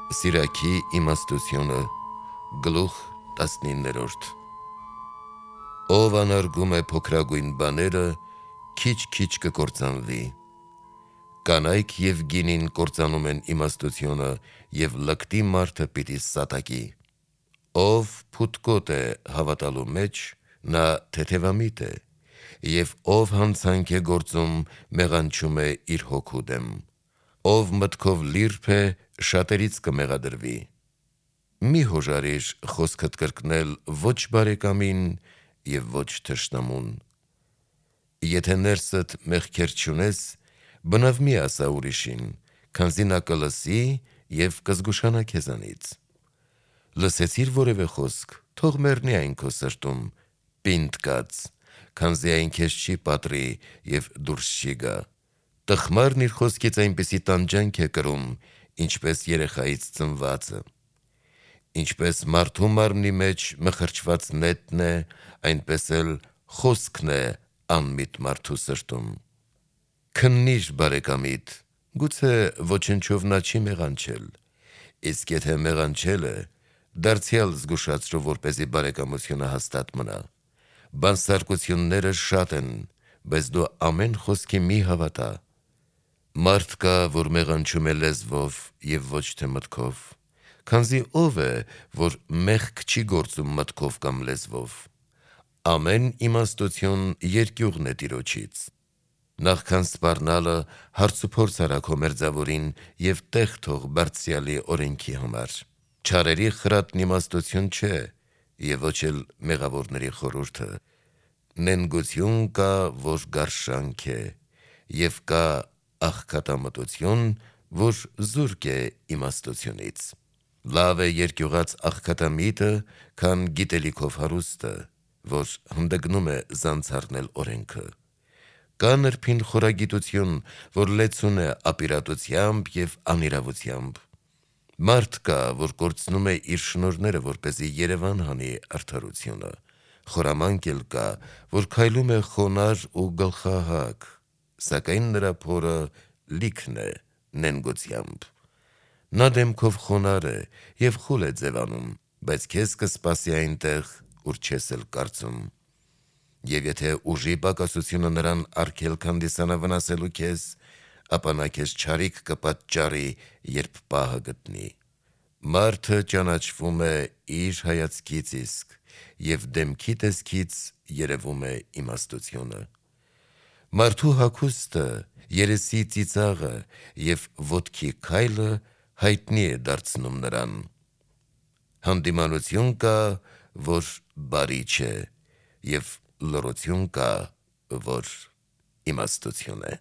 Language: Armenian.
Սիրակի իմաստությունը գլուխ 19-րդ Ով անարգում է փոքրագույն բաները, քիչ-քիչ կկործանվի։ Կանայք և գինին կործանում են իմաստությունը, և լկտի մարդը պիտի սատակի։ Ով փութկոտ է հավատալու մեջ, նա թեթևամիտ է, և ով հանցանք է գործում, մեղանչում է իր հոգու դեմ։ Ով մտքով լիրբ է, շատերից կմեղադրվի։ Մի հոժարիր խոսքդ կրկնել ոչ բարեկամին և ոչ թշնամուն։ Եթե ներսդ մեղքեր չունես, բնավ մի ասա ուրիշին, քանզի նա կլսի և կզգուշանա քեզանից։ Լսեցիր որևէ խոսք, թող մեռնի այն քո սրտում, պինդ կաց, քանզի այն քեզ չի պատռի և դուրս չի գա։ Տխմարն իր խոսքից այնպիսի տանջանք է կրում, ինչպես երեխայից ծնվածը։ Ինչպես մարդու մարմնի մեջ մխրճված նետն է, այնպես էլ խոսքն է անմիտ մարդու սրտում։ Քննի՛ր բարեկամիդ, գուցե ոչնչով նա չի մեղանչել, իսկ եթե մեղանչել է, դարձյալ զգուշացրու, որպեսզի բարեկամությունը հաստատ մնա։ Բանսարկությունները շատ են, բայց դու ամեն խոսքի մի հավատա։ Մարդ կա, որ մեղանչում է լեզվով և ոչ թե մտքով, քանզի ով է, որ մեղք չի գործում մտքով կամ լեզվով։ Ամեն իմաստություն երկյուղն է Տիրոջից։ Նախքան սպառնալը հարցուփորձ արա քո մերձավորին և տեղ թող Բարձրյալի օրենքի համար։ Չարերի խրատն իմաստություն չէ և ոչ էլ մեղավորների խորհուրդը։ Նենգություն կա, որ գարշանք է, և կա աղքատամտություն, որ զուրկ է իմաստությունից։ Լավ է երկյուղած աղքատամիտը, քան գիտելիքով հարուստը, որ հանդգնում է զանցառնել օրենքը։ Կա նրբին խորագիտություն, որ լեցուն է ապիրատությամբ և անիրավությամբ։ Մարդ կա, որ կորցնում է իր շնորհները, որպեսզի երևան հանի արդարությունը։ Խորամանկ էլ կա, որ քայլում է խոնարհ ու գլխահակ, սակայն նրա փորը լիքն է նենգությամբ։ Նա դեմքով խոնարհ է և խուլ է ձևանում, բայց քեզ կսպասի այնտեղ, ուր չես էլ կարծում։ Եվ եթե ուժի պակասությունը նրան արգելք հանդիսանա վնասելու քեզ, ապա նա քեզ չարիք կպատճառի, երբ պահը գտնի։ Մարդը ճանաչվում է իր հայացքից իսկ, և դեմքի տեսքից երևում է իմաստությունը։ Մարդու հագուստը, երեսի ծիծաղը և ոտքի քայլը հայտնի է դարձնում նրան։ Հանդիմանություն կա, որ բարի չէ, և լռություն կա, որ իմաստություն է։